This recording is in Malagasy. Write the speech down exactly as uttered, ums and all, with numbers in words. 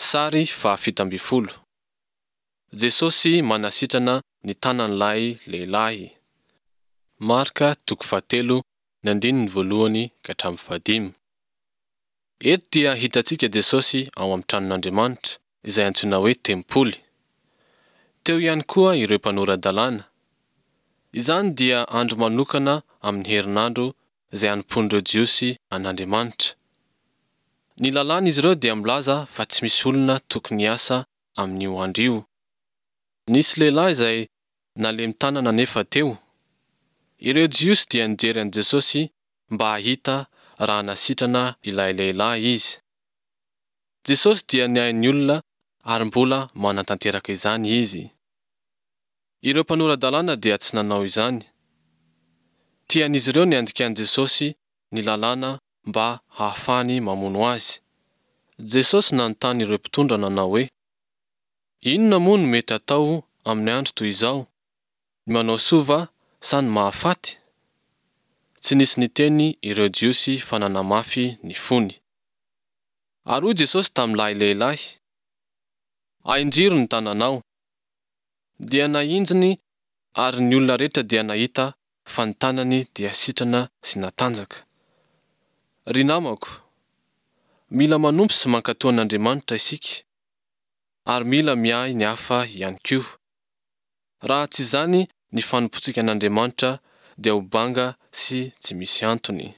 Sary fahafito ambin'ny folo. Jesosy manasitrana ny tanan'ilay lehilahy. Marka toko fahatelo ny andininy voalohany ka hatramin'ny fahadimy. Eto dia hitantsika Jesosy ao amin'ny tranon'Andriamanitra, izay antsoina hoe tempoly. Teo ihany koa ireo mpanora-dalàna. Izany dia andro manokana amin'ny herinandro izay hanompoan'ireo Jiosy an'Andriamanitra. Ny lalàn'izy ireo dia milaza fa tsy misy olona tokony hiasa amin'io andro io. Nisy lehilahy izay nalemy tanana anefa teo. Ireo Jiosy dia nijery an'i Jesosy mba hahita raha hanasitrana ilay lehilahy izy. Jesosy dia niahy ny olona ary mbola manatanteraka izany izy. Ireo mpanora-dalàna dia tsy nanao izany. Tian'izy ireo ny handikan'i Jesosy ny lalàna mba hahafahany mamono azy. Jesosy nanontany ireo mpitondra nanao hoe: Inona moa no mety atao amin'ny andro toy izao? Ny manao soa va sa ny mahafaty? Tsy nisy niteny ireo Jiosy fa nanamafy ny fony. Ary hoy Jesosy tamin'ilay lehilahy: Ahinjiro ny tananao. Dia nahinjiny ary ny olona rehetra dia nahita fa ny tanany dia sitrana sy natanjaka. Ry namako, mila manompo sy mankatò an'Andriamanitra isika, ary mila miahy ny hafa ihany koa. Raha tsy izany ny fanompoantsika an'Andriamanitra dia ho banga sy tsy misy antony.